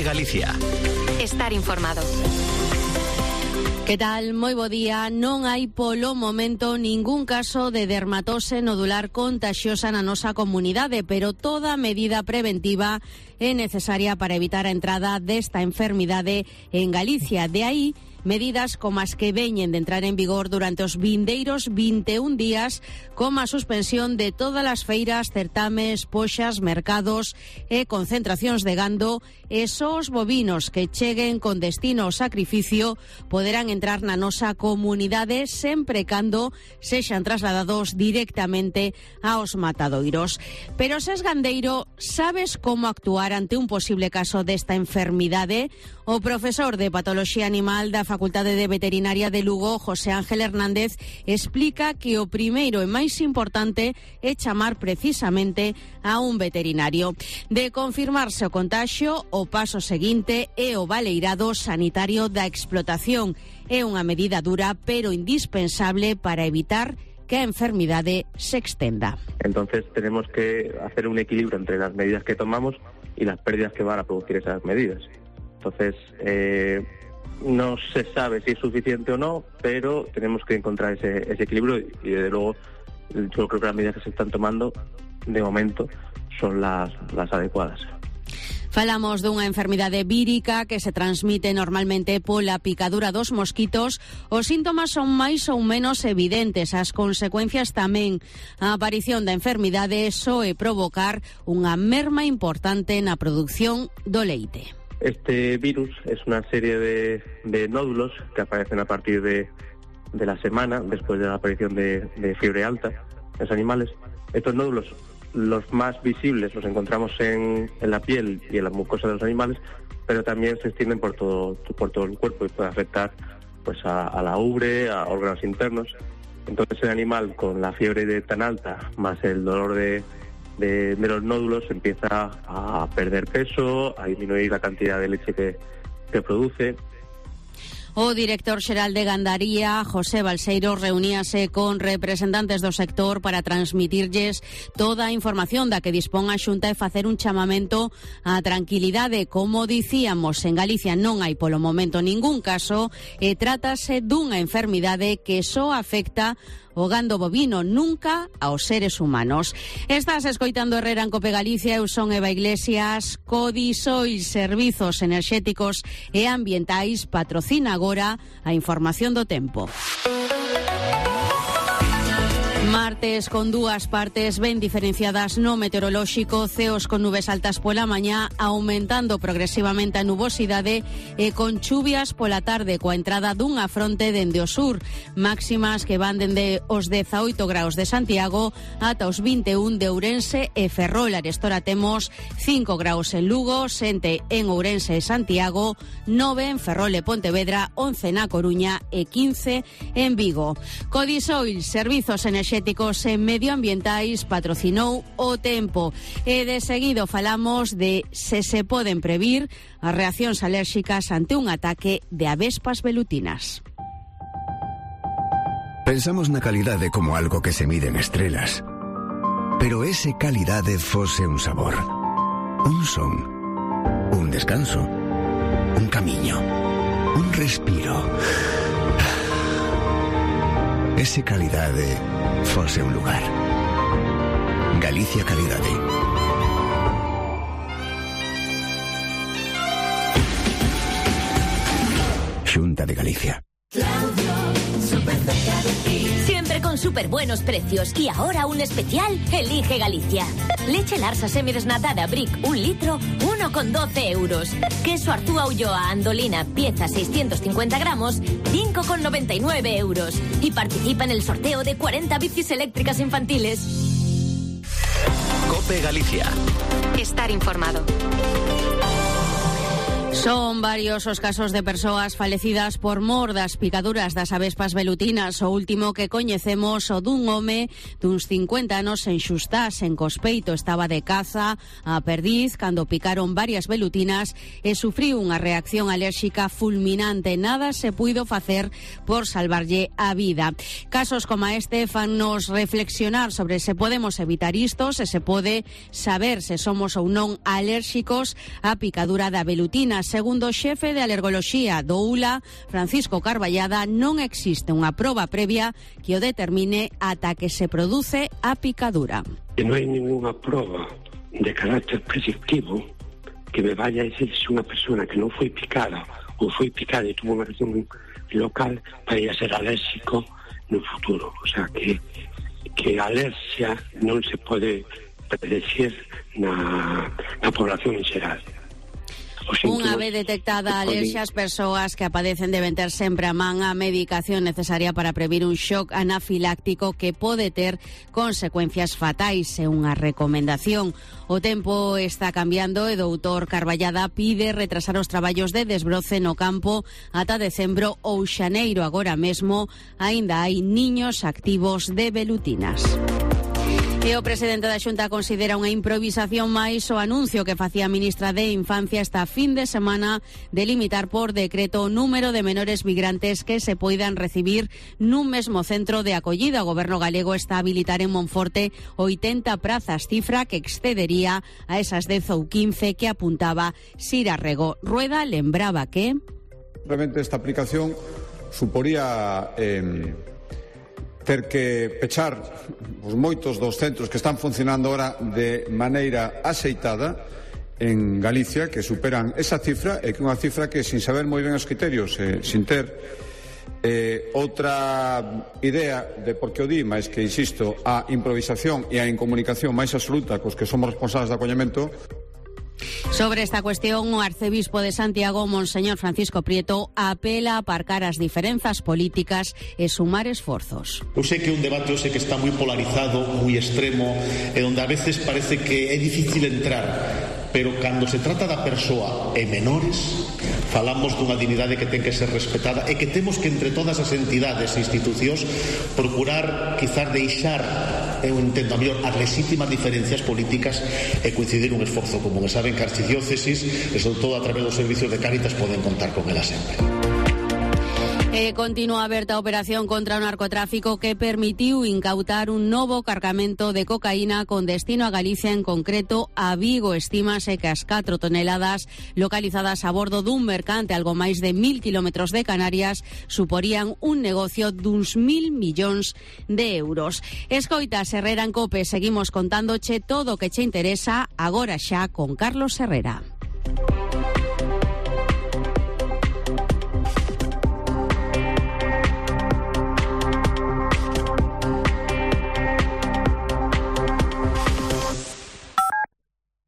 Galicia. Estar informado. Que tal? Moi bo día. Non hai polo momento ningún caso de dermatose nodular contagiosa na nosa comunidade, pero toda medida preventiva é necesaria para evitar a entrada desta enfermidade en Galicia. De aí medidas como as que veñen de entrar en vigor durante os vindeiros 21 días, como a suspensión de todas as feiras, certames, poxas, mercados e concentracións de gando, e só os bovinos que cheguen con destino ao sacrificio poderán entrar na nosa comunidade sempre cando sexan trasladados directamente aos matadoiros. Pero se es gandeiro, sabes como actuar ante un posible caso desta enfermidade? O profesor de Patoloxía Animal da Facultade de Veterinaria de Lugo, José Ángel Hernández, explica que o primeiro e máis importante é chamar precisamente a un veterinario. De confirmarse o contaxio, o paso seguinte é o baleirado sanitario da explotación. É unha medida dura, pero indispensable para evitar que a enfermidade se extenda. Entonces tenemos que hacer un equilibrio entre las medidas que tomamos y las pérdidas que van a producir esas medidas. Entonces, no se sabe si es suficiente o no, pero tenemos que encontrar ese equilibrio y desde luego yo creo que las medidas que se están tomando de momento son las adecuadas. Falamos dunha enfermidade vírica que se transmite normalmente pola picadura dos mosquitos. Os síntomas son máis ou menos evidentes, as consecuencias tamén. A aparición da enfermidade soe provocar unha merma importante na produción do leite. Este virus es una serie de nódulos que aparecen a partir de la semana después de la aparición de fiebre alta en los animales. Estos nódulos, los más visibles, los encontramos en la piel y en la mucosa de los animales, pero también se extienden por todo el cuerpo y pueden afectar pues a la ubre, a órganos internos. Entonces el animal con la fiebre tan alta más el dolor de los nódulos empieza a perder peso, a disminuir la cantidad de leche que produce. O director xeral de Gandaría, José Balseiro, reuníase con representantes do sector para transmitirlles toda a información da que dispón a Xunta e facer un chamamento á tranquilidade. Como dicíamos, en Galicia non hai polo momento ningún caso e trátase dunha enfermidade que só afecta o gando bovino, nunca aos seres humanos. Estás escoitando Herrera en Cope Galicia, eu son Eva Iglesias. Codisoil Servizos Enerxéticos e Ambientais patrocina agora a información do tempo. Martes con dúas partes ben diferenciadas no meteorolóxico, ceos con nubes altas pola mañá, aumentando progresivamente a nubosidade e con chuvias pola tarde coa entrada dunha fronte dende o sur, máximas que van dende os 18 graus de Santiago ata os 21 de Ourense e Ferrol. Arestora temos 5 graus en Lugo, 7 en Ourense e Santiago, 9 en Ferrol e Pontevedra, 11 na Coruña e 15 en Vigo. Codisoil Servizos Enerxéticos e Medioambientais patrocinou o tempo e de seguido falamos de se poden previr as reaccións alérxicas ante un ataque de avespas velutinas. Pensamos na calidade como algo que se mide en estrelas, pero ese calidade fose un sabor, un son, un descanso, un camiño, un respiro. Ese calidade fose un lugar. Galicia Calidade. Xunta de Galicia. Siempre con súper buenos precios y ahora un especial Elige Galicia. Leche Larsa semidesnatada Brick 1 litro, 1,12 euros. Queso Arzúa Ulloa Andolina pieza 650 gramos, 5,99 euros. Y participa en el sorteo de 40 bicis eléctricas infantiles. Cope Galicia. Estar informado. Son varios os casos de persoas falecidas por mor das picaduras das avespas velutinas. O último que coñecemos o dun home duns 50 anos en Xustás, en Cospeito. Estaba de caza a perdiz cando picaron varias velutinas e sufriu unha reacción alérxica fulminante. Nada se puido facer por salvarlle a vida. Casos como este fannos reflexionar sobre se podemos evitar isto, se pode saber se somos ou non alérxicos á picadura da velutina. Segundo o xefe de alergoloxía do ULA, Francisco Carballada, non existe unha proba previa que o determine ata que se produce a picadura. Non hai ninguna proba de carácter predictivo que me vaya a decir se unha persona que non foi picada ou foi picada e tuvo unha reacción local vai a ser alérxico no futuro. O sea, que a alerxia non se pode predecir na población en xeral. Unha vez detectada a alerxia, as persoas que a padecen deben ter sempre a man a medicación necesaria para previr un shock anafiláctico que pode ter consecuencias fatais. É unha recomendación. O tempo está cambiando e o doutor Carballada pide retrasar os traballos de desbroce no campo ata decembro ou xaneiro. Agora mesmo aínda hai niños activos de velutinas. E o presidente da Xunta considera unha improvisación máis o anuncio que facía a ministra de Infancia esta fin de semana de limitar por decreto o número de menores migrantes que se poidan recibir nun mesmo centro de acollida. O goberno galego está a habilitar en Monforte 80 prazas, cifra que excedería a esas 10 ou 15 que apuntaba Sira Rego. Rueda lembraba que realmente esta aplicación suporía ter que pechar os moitos dos centros que están funcionando ahora de maneira axeitada en Galicia, que superan esa cifra, e que unha cifra que, sin saber moi ben os criterios, sin ter outra idea de por que o di, máis que, insisto, a improvisación e a incomunicación máis absoluta cos que somos responsables de acollemento. Sobre esta cuestión, o arcebispo de Santiago, Monseñor Francisco Prieto, apela a aparcar as diferenzas políticas e sumar esforzos. Eu sei que é un debate, eu sei que está moi polarizado, moi extremo, e onde a veces parece que é difícil entrar, pero cando se trata da persoa e menores, falamos dunha dignidade que ten que ser respetada e que temos que, entre todas as entidades e institucións, procurar quizás deixar, eu entendo a mellor, as legítimas diferencias políticas e coincidir un esforzo común. E saben que a archidiócesis, e sobre todo a través dos servicios de Cáritas, poden contar con ela sempre. Continúa aberta a operación contra o narcotráfico que permitiu incautar un novo cargamento de cocaína con destino a Galicia, en concreto a Vigo. Estímase que as 4 toneladas localizadas a bordo dun mercante algo máis de 1000 kilómetros de Canarias suporían un negocio duns 1000 millóns de euros. Escoita, Herrera en COPE, seguimos contándoche todo o que che interesa agora xa con Carlos Herrera.